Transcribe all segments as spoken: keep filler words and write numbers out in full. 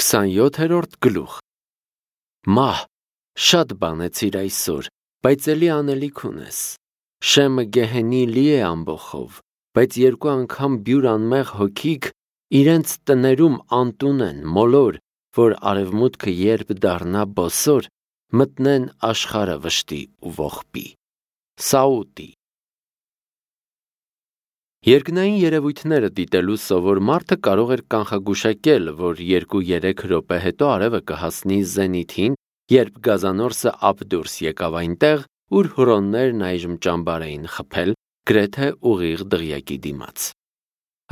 քսանյոթերորդ գլուխ Մահ, շատ բանեցիր այսօր, բայց էլի անելիք ունես։ Շեմը գեհենի լի է ամբոխով, բայց երկու անգամ բյուր անմեղ հոգիք իրենց տներում անտուն են, մոլոր, որ արևմուտքը երբ դառնա բոսոր, մտնեն աշխարհը վշտի ու ողբի։ Սաուտի Երկնային երևույթները դիտելու սովոր մարդը կարող էր կանխագուշակել, որ երկու-երեք րոպե հետո արևը կհասնի զենիթին, երբ գազանորսը ափ դուրս եկավ այնտեղ, ուր հուրոններն այժմ ճամբար էին խփել, գրեթե ուղիղ դղյակի դիմաց։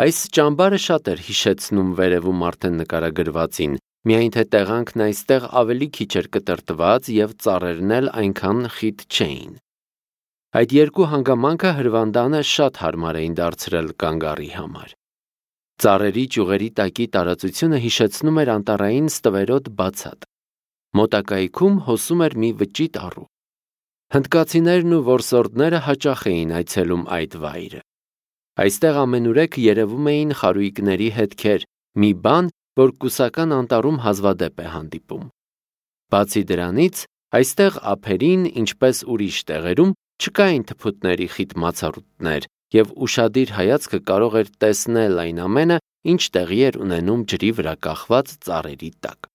Այս ճամբարը շատ էր հիշեցնում վերևում արդեն նկարագրվածին, միայն թե տեղանքն այստեղ ավելի քիչ էր կտրտված և ծառերն էլ այնքան խիտ չէին։ Այդ երկու հանգամանքը հրվանդանը շատ հարմար էին դարձրել կանգառի համար։ Ծառերի ճյուղերի տակի տարածությունը հիշեցնում էր անտառային ստվերոտ բացատ։ Մոտակայքում հոսում էր մի վճիտ առու։ Հնդկացիներն ու որսորդները հաճախ էին այցելում այդ վայրը։ Այստեղ ամենուրեք երևում էին խարույկների հետքեր, մի բան, որ կուսական անտառում հազվադեպ է հանդիպում։ Բացի դրանից, այստեղ ափերին, ինչպես ուրիշ տեղերում, չկային թփուտների խիտ մացառուտներ, և ուշադիր հայացքը կարող էր տեսնել այն ամենը, ինչ տեղի էր ունենում ջրի վրա կախված ծառերի տակ։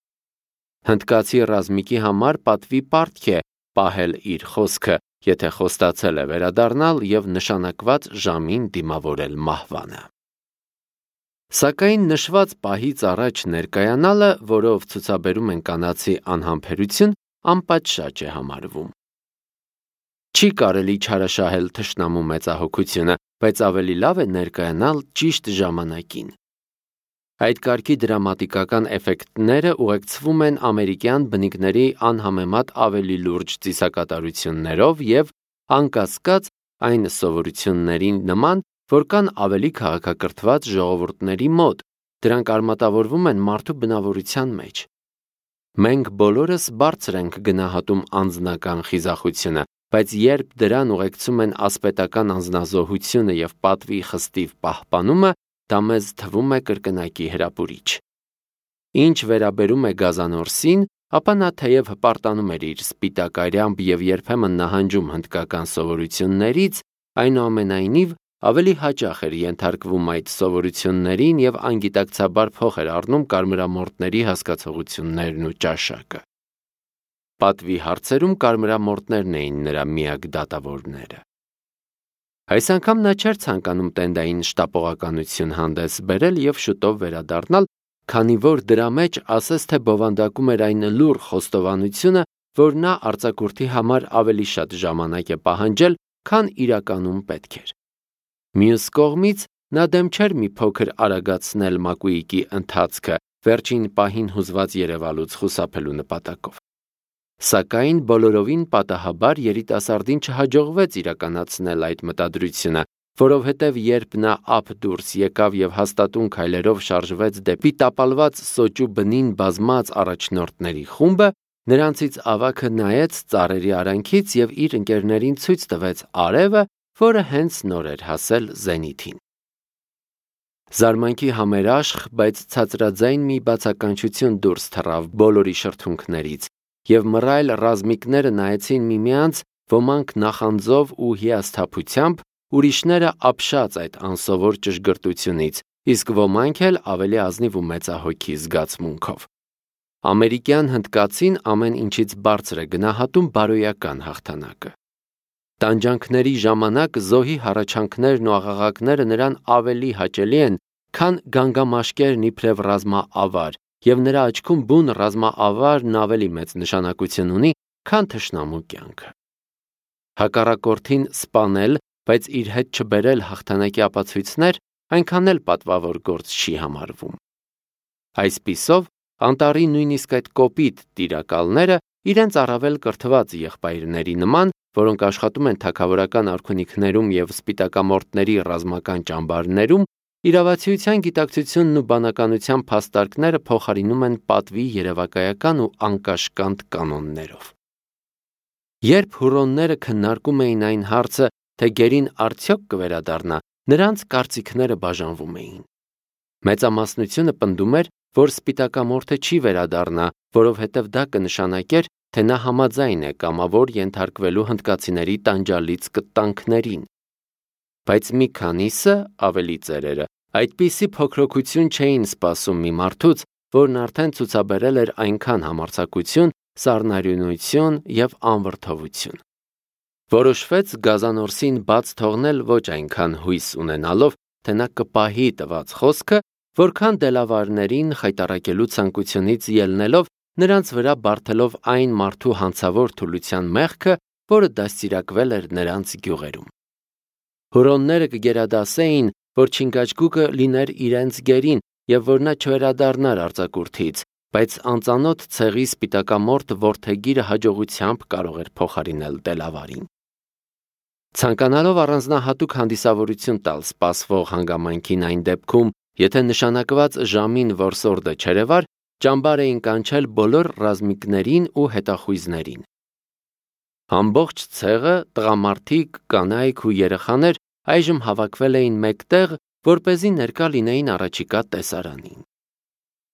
Հնդկացի ռազմիկի համար պատվի պարտք է պահել իր խոսքը, եթե խոստացել է վերադառնալ և նշանակված ժամին դիմավորել մահվանը։ Սակայն նշված պահից առաջ ներկայանալը, որով ցուցաբերում են կանացի անհամբերություն, անպատշաճ է համարվում։ Չի կարելի չարաշահել թշնամու մեծահոգությունը, բայց ավելի լավ է ներկայանալ ճիշտ ժամանակին։ Այդ կարգի դրամատիկական էֆեկտները ուղեկցվում են ամերիկյան բնիկների անհամեմատ ավելի լուրջ ծիսակատարություններով և, անկասկած, այն սովորություններին նման, որ կան ավելի քաղաքակրթված ժողովուրդների մոտ, դրանք արմատավորվում են մարդու բնավորության մեջ։ Մենք բոլորս բարձր ենք գնահատում անձնական խիզախությունը, բայց երբ դրան ուղեկցում են ասպետական անձնազոհությունը և պատվի խստիվ պահպանումը, դա մեզ թվում է կրկնակի հրապուրիչ։ Ինչ վերաբերում է գազանորսին, ապա նա թեև հպարտանում էր իր սպիտակ արյամբ և երբեմն նահանջում հնդկական սովորություններից, այնուամենայնիվ ավելի հաճախ էր ենթարկվում այդ սովորություններին և անգիտակցաբար փոխ էր առնում կարմրամորթների հասկացողություններն ու ճաշակը։ Պատվի հարցերում կարմրամորթներն էին նրա միակ դատավորները։ Այս անգամ նա չէր ցանկանում տենդային շտապողականություն հանդես բերել և շուտով վերադառնալ, քանի որ դրա մեջ ասես թե բովանդակում էր այն լուռ խոստովանությունը, որ նա արձակուրդի համար ավելի շատ ժամանակ է պահանջել, քան իրականում պետք էր։ Մյուս կողմից, նա դեմ չէր մի փոքր արագացնել Մակուիկի ընթացքը, վերջին պահին հուզված երևալուց խուսափելու նպատակով։ Սակայն բոլորովին պատահաբար երիտասարդին չհաջողվեց իրականացնել այդ մտադրությունը, որովհետև երբ նա ափ դուրս եկավ և հաստատուն քայլերով շարժվեց դեպի տապալված սոճու բնին բազմած առաջնորդների խումբը, նրանցից ավագը նայեց ծառերի արանքից և իր ընկերներին ցույց տվեց արևը, որը հենց նոր էր հասել զենիթին։ Զարմանքի համերաշխ, բայց ցածրաձայն մի բացականչություն դուրս թռավ բոլորի շրթունքներից, և մռայլ ռազմիկները նայեցին միմյանց, ոմանք նախանձով ու հիասթափությամբ, ուրիշները ապշած այդ անսովոր ճշգրտությունից, իսկ ոմանք էլ ավելի ազնիվ ու մեծահոգի զգացմունքով։ Ամերիկյան հնդկացին ամեն ինչից բարձր է գնահատում բարոյական հաղթանակը։ Տանջանքների ժամանակ զոհի հառաչանքներն ու աղաղակները նրան ավելի հաճելի են, քան գանգամաշկերն իբրև ռազմաավար, և նրա աչքում բուն ռազմաավարն ավելի մեծ նշանակություն ունի, քան թշնամու կյանքը։ Հակառակորդին սպանել, բայց իր հետ չբերել հաղթանակի ապացույցներ, այնքան էլ պատվավոր գործ չի համարվում։ Այսպիսով, անտառի նույնիսկ այդ կոպիտ տիրակալները իրենց առավել կրթված եղբայրների նման, որոնք աշխատում են թագավորական արքունիքներում և սպիտակամորթների ռազմական ճամբարներում, իրավացիության գիտակցությունն ու բանականության փաստարկները փոխարինում են պատվի երևակայական ու անկաշկանդ կանոններով։ Երբ հուրոնները քննարկում էին այն հարցը, թե գերին արդյոք կվերադառնա, նրանց կարծիքները բաժանվում էին։ Մեծամասնությունը պնդում էր, որ սպիտակամորթը չի վերադառնա, որովհետև դա կնշանակեր, թե նա համաձայն է կամավոր ենթարկվելու հնդկացիների տանջալից կտանքներին։ Բայց մի քանիսը, ավելի ծերերը, այդպիսի փոքրոքություն չէին սպասում մի մարդուց, որն արդեն ցուցաբերել էր այնքան համարձակություն, սառնարյունություն և անվրդովություն։ Որոշվեց Գազանորսին բաց թողնել ոչ այնքան հույս ունենալով, թե նա կպահի տված խոսքը, որքան դելավարներին խայտառակելու ցանկությունից ելնելով, նրանց վրա բարդելով այն մարդու հանցավոր թուլության մեղքը, որը դաստիարակվել էր նրանց գյուղերում։ Հուրոնները կգերադասեին, որ չինգաչգուկը լիներ իրենց գերին և որ նա չվերադառնար արձակուրդից, բայց անծանոթ ցեղի սպիտակամորթ որդեգիրը հաջողությամբ կարող էր փոխարինել դելավարին։ Ցանկանալով առանձնահատուկ հանդիսավորություն տալ սպասվող հանգամանքին այն դեպքում, եթե նշանակված ժամին որսորդը չերևար, ճամբար էին կանչել բոլոր ռազմիկներին ու հետախույզներին։ Ամբողջ ցեղը, տղամարդիկ, կանայք ու երեխաներ այժմ հավաքվել էին մեկտեղ, որպեսզի ներկա լինեին առաջիկա տեսարանին։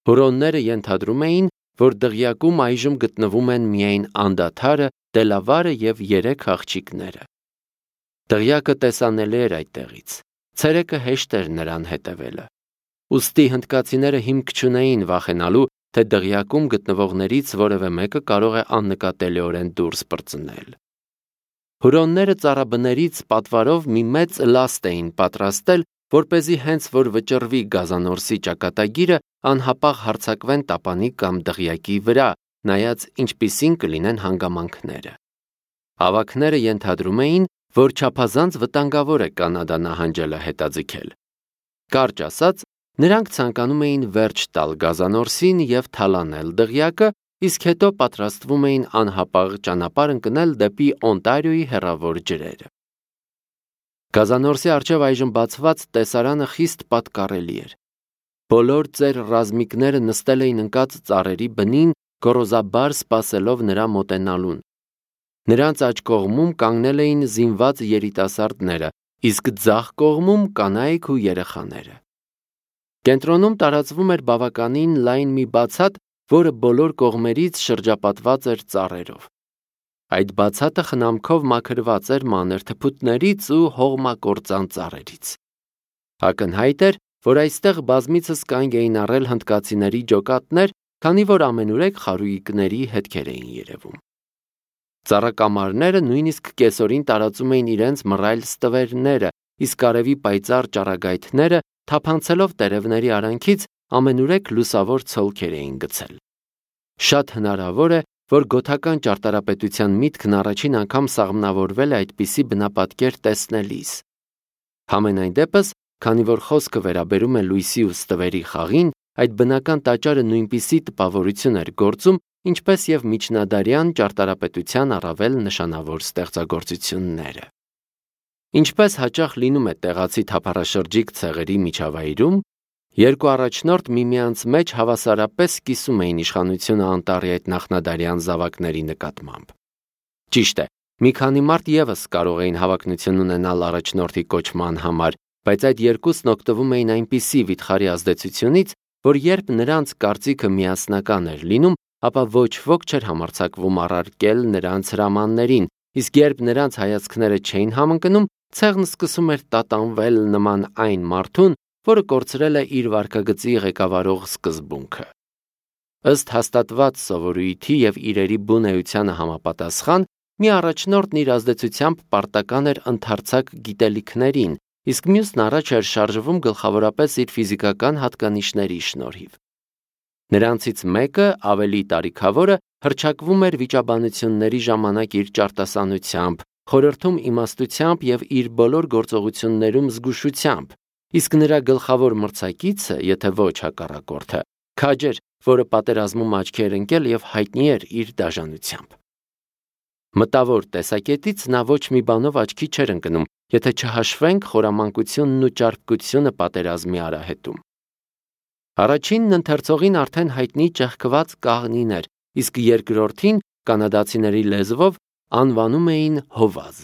Հուրոնները ենթադրում էին, որ դղյակում այժմ գտնվում են միայն անդադարը, դելավարը և երեք աղջիկները։ Դղյակը տեսանելի էր այդտեղից, ցերեկը հեշտ էր նրան հետևելը։ Ուստի հնդկացիները հիմք չունեին վախենալու, թե դղյակում գտնվողներից որևէ մեկը կարող է աննկատելիորեն դուրս պրծնել։ Հուրոնները ծառաբներից պատվարով մի մեծ լաստ էին պատրաստել, որպեսզի հենց որ վճռվի Գազանորսի ճակատագիրը, անհապաղ հարձակվեն տապանի կամ դղյակի վրա, նայած ինչպիսին կլինեն հանգամանքները։ Ավագները ենթադրում էին, որ չափազանց վտանգավոր է Կանադա նահանջելը հետաձգել։ Կարճ ասած, նրանք ցանկանում էին վերջ տալ Գազանորսին և թալանել դղյակը, իսկ հետո պատրաստվում էին անհապաղ ճանապարհ ընկնել դեպի Օնտարիոյի հեռավոր ջրերը։ Գազանորսի առջև այժմ բացված տեսարանը խիստ պատկառելի էր։ Բոլոր ծեր ռազմիկները նստել էին ընկած ծառերի բնին, գոռոզաբար սպասելով նրա մոտենալուն։ Նրանց աջ կողմում կանգնել էին զինված երիտասարդները, իսկ ձախ կողմում կանայք ու երեխաները։ Կենտրոնում տարածվում էր բավականին լայն մի բացատ, որը բոլոր կողմերից շրջապատված էր ծառերով։ Այդ բացատը խնամքով մաքրված էր մանր թփուտներից ու հողմակործան ծառերից։ Ակնհայտ էր, որ այստեղ բազմիցս կանգ էին առել հնդկացիների ջոկատներ, քանի որ ամենուրեք խարույկների հետքեր էին երևում։ Ծառակամարները նույնիսկ կեսօրին տարածում էին իրենց մռայլ ստվերները, իսկ արևի պայծառ ճառագայթները, թափանցելով տերևների արանքից, ամենուրեք լուսավոր ցոլքեր էին գցել։ Շատ հնարավոր է, որ գոթական ճարտարապետության միտքն առաջին անգամ սաղմնավորվել է այդպիսի բնապատկեր տեսնելիս։ Համենայն դեպս, քանի որ խոսքը վերաբերում է լույսի ու ստվերի խաղին, այդ բնական տաճարը նույնպիսի տպավորություն էր գործում, ինչպես և միջնադարյան ճարտարապետության առավել նշանավոր ստեղծագործությունները։ Ինչպես հաճախ լինում է տեղացի թափառաշրջիկ ցեղերի միջավայրում, երկու առաջնորդ միմյանց մեջ հավասարապես կիսում էին իշխանությունը Անտառի այդ նախնադարյան զավակների նկատմամբ։ Ճիշտ է, մի քանի մարդ ևս կարող էին հավակնություն ունենալ առաջնորդի կոչման համար, բայց այդ երկուսն օգտվում էին այնպիսի վիթխարի ազդեցությունից, որ երբ նրանց կարծիքը միասնական էր լինում, ապա ոչ ոք չէր համարձակվում առարկել նրանց հրամաններին, իսկ երբ նրանց հայացքները չէին համընկնում, ցեղն սկսում էր տատանվել նման այն մարդուն, որը կորցրել է իր վարքագծի ղեկավարող սկզբունքը։ Ըստ հաստատված սովորույթի և իրերի բուն էությանը համապատասխան, մի առաջնորդն իր ազդեցությամբ պարտական էր ընդարձակ գիտելիքներին, իսկ մյուսն առաջ էր շարժվում գլխավորապես իր ֆիզիկական հատկանիշների շնորհիվ։ Նրանցից մեկը, ավելի տարիքավորը, հռչակվում էր վիճաբանությունների ժամանակ իր ճարտասանությամբ, խորհրդում իմաստությամբ և իր բոլոր գործողություններում զգուշությամբ, իսկ նրա գլխավոր մրցակիցը, եթե ոչ հակառակորդը, քաջ էր, որը պատերազմում աչքի էր ընկել և հայտնի էր իր դաժանությամբ։ Մտավոր տեսակետից նա ոչ մի բանով աչքի չէր ընկնում, եթե չհաշվենք խորամանկությունն ու ճարպկությունը պատերազմի արահետում։ Առաջինն ընթերցողին արդեն հայտնի ճեղքված կաղնին էր, իսկ երկրորդին կանադացիների լեզվով անվանում էին Հովազ։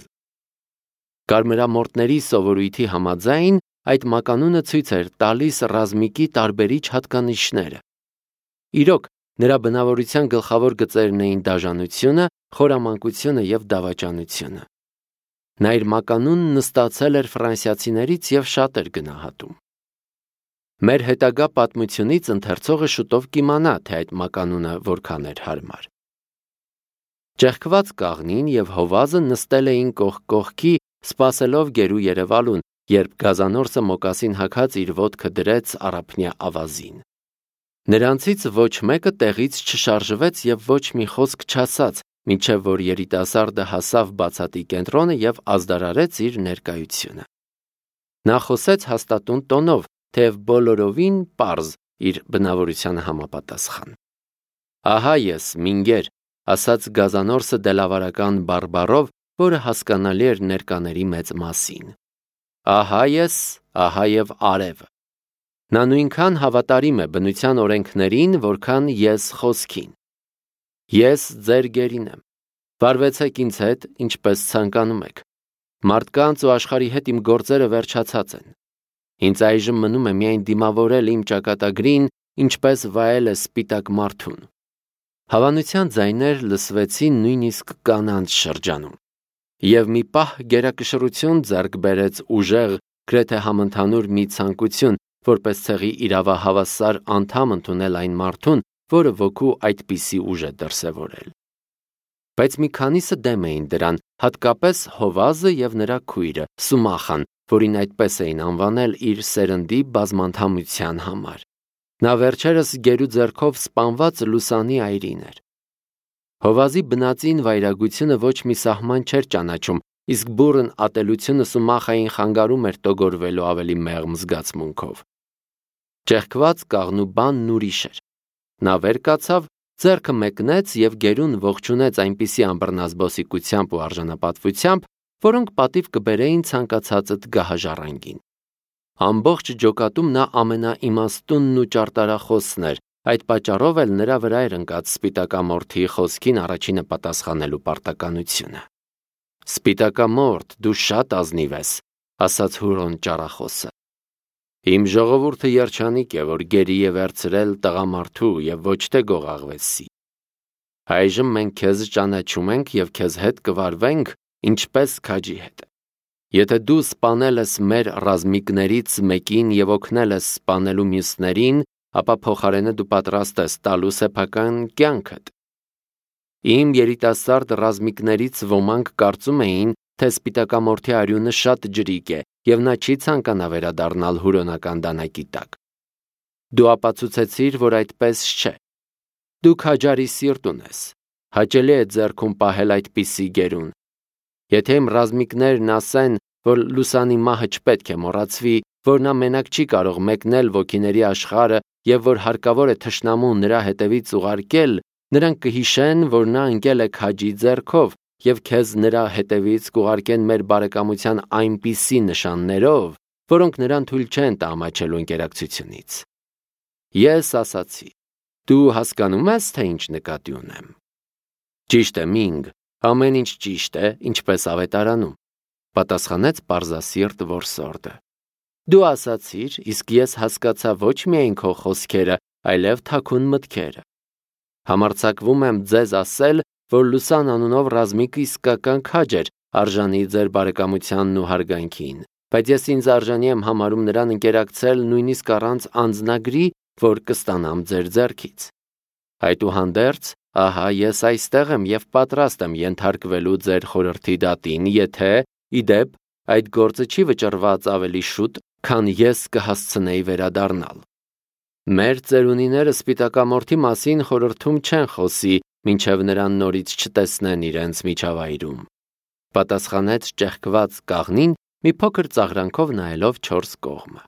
Կարմրամորտների սովորույթի համաձայն այդ մականունը ցույց էր տալիս ռազմիկի տարբերիչ հատկանիշները, Իրոք, նրա բնավորության գլխավոր գծերն էին դաժանությունը, խորամանկությունը և դավաճանությունը։ Նա իր մականունն նստացել էր ֆրանսիացիներից և շատ էր գնահատում։ Մեր հետագա պատմությունից ընթերցողը շուտով կիմանա, թե այդ մականունը որքան էր հարմար։ Ճեղքված կաղնին և հովազը նստել էին կողք կողքի, սպասելով գերու երևալուն, երբ գազանորսը մոկասին հագած իր ոտքը դրեց առափնյա ավազին։ Նրանցից ոչ մեկը տեղից չշարժվեց և ոչ մի խոսք չասաց, մինչև որ երիտասարդը հասավ բացատի կենտրոնը և ազդարարեց իր ներկայությունը։ Նա խոսեց հաստատուն տոնով, թեև բոլորովին պարզ իր բնավորությանը համապատասխան։ «Ահա ես, Մինգեր», ասաց գազանորսը դելավարական բարբառով, որը հասկանալի էր ներկաների մեծ մասին։ «Ահա ես, ահա և արև»։ Նա նույնքան հավատարիմ է բնության օրենքներին, որքան ես խոսքին։ Ես ձեր գերին եմ։ Վարվեցեք ինձ հետ, ինչպես ցանկանում եք։ Մարդկանց ու աշխարհի հետ իմ գործերը վերջացած են։ Ինձ այժմ մնում է միայն դիմավորել իմ ճակատագրին, ինչպես վայելը սպիտակ մարդուն։ Հավանության ձայներ լսվեցին նույնիսկ կանանց շրջանում։ Եվ մի պահ գերակշռություն ձեռք բերեց ուժեղ, գրեթե համընդհանուր մի ցանկություն, որպես ցեղի իրավահավասար անդամ ընդունել այն մարդուն, որը ոգու այդպիսի ուժ է դրսևորել։ Բայց մի քանիսը դեմ էին դրան, հատկապես հովազը և նրա քույրը Սումախան, որին այդպես էին անվանել իր սերնդի բազմանդամության համար։ Նա վերջերս գերու ձեռքով սպանված Լուսանի այրին էր։ Հովազի բնածին վայրագությունը ոչ մի սահման չէր ճանաչում, իսկ բուռն ատելությունը Սումախային խանգարում էր տոգորվելու ավելի մեղմ զգացմունքով։ Ճեղքված կաղնու բանն ուրիշ էր։ Նա վեր կացավ, ձեռքը մեկնեց և գերուն ողջունեց այնպիսի անբռնազբոսիկությամբ ու արժանապատվությամբ, որոնք պատիվ կբերեին ցանկացածդ գահաժառանգին։ Ամբողջ ջոկատում նա ամենաիմաստունն ու ճարտարախոսն էր, այդ պատճառով էլ նրա վրա էր ընկած սպիտակամորթի խոսքին առաջինը պատասխանելու պարտականությունը։ «Սպիտակամորթ, դու շատ ազնիվ ես», ասաց Հուրոն ճառախոսը։ «Իմ ժողովուրդը երջանիկ է, որ գերի է վերցրել տղամարդու և ոչ թե գողաղվեցի։ Այժմ մենք քեզ ճանաչում ենք և քեզ հետ կվարվենք, ինչպես քաջի հետ։ Եթե դու սպանել ես մեր ռազմիկներից մեկին և օգնել ես սպանելու մյուսներին, ապա փոխարենը դու պատրաստ ես տալու սեփական կյանքդ։ Իմ երիտասարդ ռազմիկներից ոմանք կարծում էին, թե սպիտակամորթի արյունը շատ ջրիկ է, և նա չի ցանկանա վերադառնալ հուրոնական դանակի տակ։ Դու ապացուցեցիր, որ այդպես չէ։ Դու քաջարի սիրտ ունես, հաճելի է ձեռքում պահել այդպիսի գերուն։ Եթե իմ ռազմիկներն ասեն, որ Լուսանի մահը չպետք է մոռացվի, որ նա մենակ չի կարող մեկնել ոգիների աշխարհը և որ հարկավոր է թշնամուն նրա հետևից ուղարկել, նրանք կհիշեն, որ նա ընկել է քաջի ձեռքով, և քեզ նրա հետևից կուղարկեն մեր բարեկամության այնպիսի նշաններով, որոնք նրան թույլ չեն տա ամաչելու ընկերակցությունից։ Ես ասացի, դու հասկանո՞ւմ ես, թե ինչ նկատի ունեմ։ Ճիշտ է, Մինգ, ամեն ինչ ճիշտ է, ինչպես ավետարանում, պատասխանեց պարզասիրտ որսորդը։ Դու ասացիր, իսկ ես հասկացա ոչ միայն քո խոսքերը, այլև թաքուն մտքերը։ Համարձակվում եմ ձեզ ասել, որ Լուսան անունով ռազմիկը իսկական քաջ էր, արժանի ձեր բարեկամությանն ու հարգանքին, բայց ես ինձ արժանի եմ համարում նրան ընկերակցել նույնիսկ առանց անձնագրի, որ կստանամ ձեր ձեռքից։ Այդուհանդերձ, ահա ես այստեղ եմ և պատրաստ եմ ենթարկվելու ձեր խորհրդի դատին, եթե, ի դեպ, այդ գործը չի վճռված ավելի շուտ, քան ես կհասցնեի վերադառնալ։ Մեր ծերունիները սպիտակամորթի մասին խորհրդում չեն խոսի, մինչև նրան նորից չտեսնեն իրենց միջավայրում, պատասխանեց ճեղքված կաղնին, մի փոքր ծաղրանքով նայելով չորս կողմը։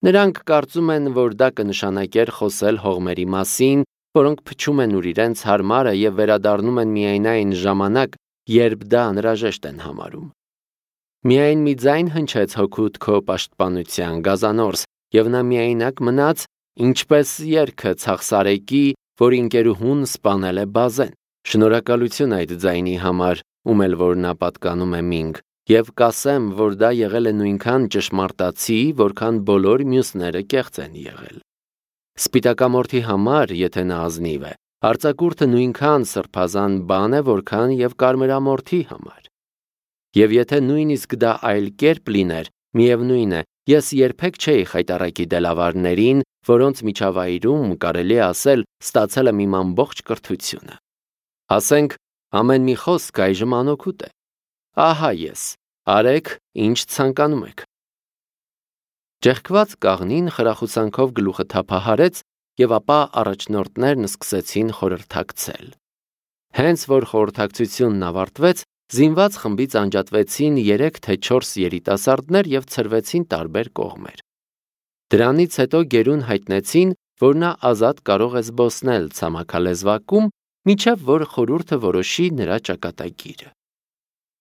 Նրանք կարծում են, որ դա կնշանակեր խոսել հողմերի մասին, որոնք փչում են ուր իրենց հարմարը և վերադառնում են միայն այն ժամանակ, երբ դա անհրաժեշտ են համարում։ Միայն մի ձայն հնչեց հօգուտ քո պաշտպանության, գազանորս, և նա միայնակ մնաց, ինչպես երգը ցախսարեկի, որի ընկերուհուն սպանել է բազեն։ Շնորհակալություն այդ ձայնի համար, ում էլ որ նա պատկանում է Մինգ, և կասեմ, որ դա եղել է նույնքան ճշմարտացի, որքան բոլոր մյուսները կեղծ են եղել։ Սպիտակամորթի համար, եթե նա ազնիվ է, արձակուրդը նույնքան սրբազան բան է, որքան եւ կարմրամորթի համար։ Եվ եթե նույնիսկ դա այլ կերպ լիներ, միևնույն է, ես երբեք չէի խայտառակի դելավարներին, որոնց միջավայրում կարելի է ասել ստացել եմ իմ ամբողջ կրթությունը։ Ասենք, ամեն մի խոսք այժմ անօգուտ է։ Ահա ես, արեք, ինչ ցանկանում եք։ Ճեղքված կաղնին խրախուսանքով գլուխը թափահարեց, եւ ապա առաջնորդներն սկսեցին խորհրդակցել։ Հենց որ խորհրդակցությունն ավարտվեց, զինված խմբից անջատվեցին երեք թե չորս երիտասարդներ եւ ցրվեցին տարբեր կողմեր։ Դրանից հետո գերուն հայտնեցին, որ նա ազատ կարող է զբոսնել ցամաքալեզվակում, մինչև որ խորհուրդը որոշի նրա ճակատագիրը։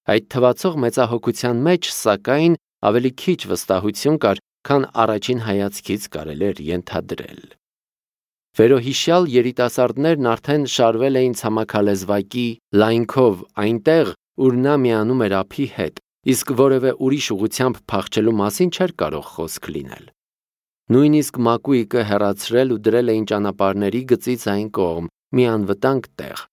Այդ թվացող մեծահոգության մեջ, սակայն, ավելի քիչ վստահություն կար, քան առաջին հայացքից կարելի էր ենթադրել։ Վերոհիշյալ երիտասարդներն արդեն շարվել էին ցամաքալեզվակի լայնքով այնտեղ, ուր նա միանում էր ափի հետ, իսկ որևէ ուրիշ ուղությամբ փախչելու մասին չէր կարող խոսք լինել։ Նույնիսկ մակույկը հեռացրել ու դրել էին ճանապարհների գծից այն կողմ, մի անվտանգ տեղ։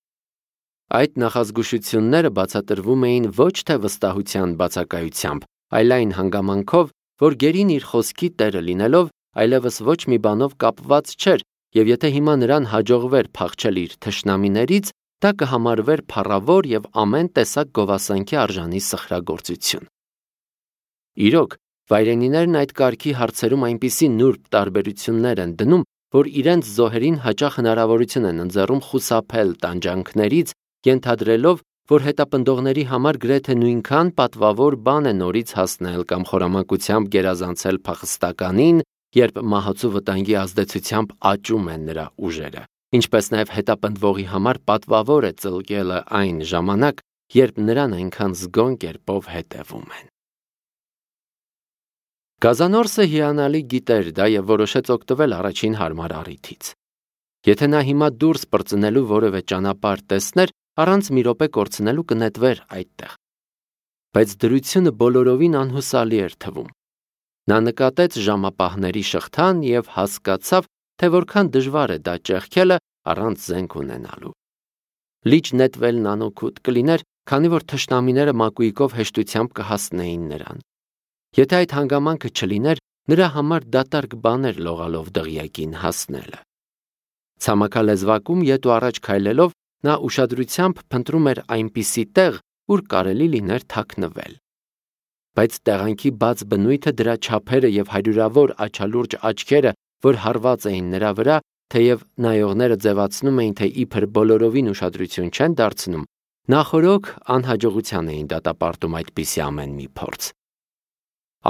Այդ նախազգուշությունները բացատրվում էին ոչ թե վստահության բացակայությամբ, այլ այն հանգամանքով, որ գերին իր խոսքի տերը լինելով, այլևս ոչ մի բանով կապված չէր, եւ եթե հիմա նրան հաջողվեր փախչել իր թշնամիներից, դա կհամարվեր փառավոր եւ ամեն տեսակ գովասանքի արժանի սխրագործություն։ Իրոք, վայրենիներն այդ կարգի հարցերում այնպիսի նուրբ տարբերություններ են դնում, որ իրենց զոհերին հաճախ հնարավորություն են ընձեռում խուսափել տանջանքներից, ենթադրելով, որ հետապնդողների համար գրեթե նույնքան պատվավոր բան է նորից հասնել կամ խորամանկությամբ գերազանցել փախստականին, երբ մահացու վտանգի ազդեցությամբ աճում են նրա ուժերը, ինչպես նաև հետապնդվողի համար պատվավոր է ծլկելը այն ժամանակ, երբ նրան այնքան զգոն կերպով հետևում են։ Գազանորսը հիանալի գիտեր դա եւ որոշեց օգտվել առաջին հարմար առիթից։ Եթե նա հիմա դուրս պրծնելու որևէ ճանապարհ տեսներ, առանց մի րոպե կորցնելու կնետվեր այդտեղ։ Բայց դրությունը բոլորովին անհուսալի էր թվում։ Նա նկատեց ժամապահների շղթան եւ հասկացավ, թե որքան դժվար է դա ճեղքելը առանց զենք ունենալու։ Լիճ նետվելն անօգուտ կլիներ, քանի որ թշնամիները մակույկով հեշտությամբ կհասնեին նրան։ Եթե այդ հանգամանքը չլիներ, նրա համար դատարկ բան էր լողալով դղյակին հասնելը։ Ցամաքալեզվակում ետ ու առաջ քայլելով, նա ուշադրությամբ փնտրում էր այնպիսի տեղ, ուր կարելի լիներ թաքնվել։ Բայց տեղանքի բաց բնույթը, դրա չափերը եւ հարյուրավոր աչալուրջ աչքերը, որ հարված էին նրա վրա, թեև նայողները ձևացնում էին, թե իբր բոլորովին ուշադրություն չեն դարձնում, նախօրոք անհաջողության էին դատապարտում այդպիսի ամեն մի փորձ։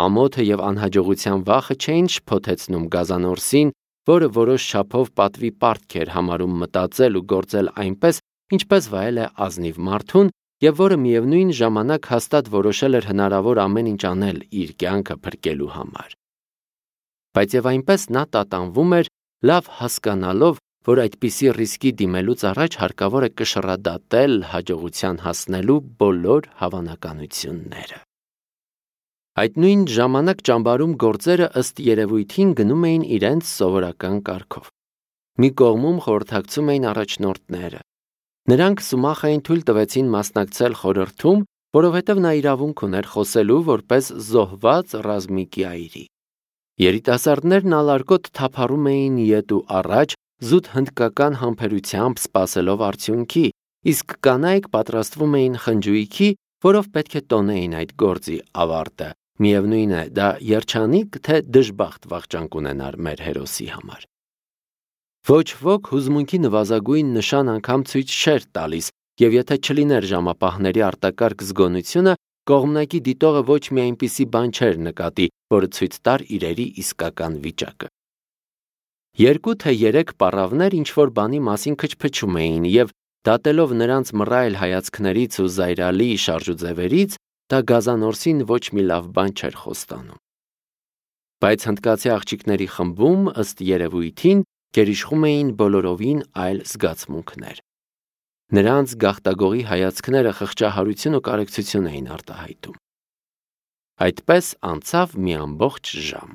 Ամոթը եւ անհաջողության վախը չէին շփոթեցնում Գազանորսին, որը որոշ չափով պատվի պարտք էր համարում մտածել ու գործել այնպես, ինչպես վայել է ազնիվ մարդուն, եւ որը միևնույն ժամանակ հաստատ որոշել էր հնարավոր ամեն ինչ անել իր կյանքը փրկելու համար։ Բայց եւ այնպես նա տատանվում էր, լավ հասկանալով, որ այդպիսի ռիսկի դիմելուց առաջ հարկավոր է կշռադատել հաջողության հասնելու բոլոր հավանականությունները։ Այդ նույն ժամանակ ճամբարում գործերը ըստ երևույթին գնում էին իրենց սովորական կարգով։ Մի կողմում խորհրդակցում էին առաջնորդները։ Նրանք Սումախային թույլ տվեցին մասնակցել խորհրդում, որովհետև նա իրավունք ուներ խոսելու որպես զոհված ռազմիկի այրի։ Երիտասարդներն ալարկոտ թափառում էին ետ ու առաջ, զուտ հնդկական համբերությամբ սպասելով արդյունքի, իսկ կանայք պատրաստվում էին խնջույքի, որով պետք է տոնեին այդ գործի ավարտը։ Միևնույն է, դա երջանիկ թե դժբախտ վախճան կունենար մեր հերոսի համար։ Ոչ ոք հուզմունքի նվազագույն նշան անգամ ցույց չէր տալիս, եւ եթե չլիներ ժամապահների արտակարգ զգոնությունը, կողմնակի դիտողը ոչ մի այնպիսի բան չէր նկատի, որը ցույց տար իրերի իսկական վիճակը։ Երկու թե երեք պառավներ ինչ-որ բանի մասին քչփչում էին, եւ դատելով նրանց մռայլ հայացքներից ու զայրալի շարժուձևերից, դա Գազանորսին ոչ մի լավ բան չէր խոստանում։ Բայց հնդկացի աղջիկների խմբում, ըստ երևույթին, գերիշխում էին բոլորովին այլ զգացմունքներ։ Նրանց գաղտագողի հայացքները խղճահարություն ու կարեկցություն էին արտահայտում։ Այդպես անցավ մի ամբողջ ժամ։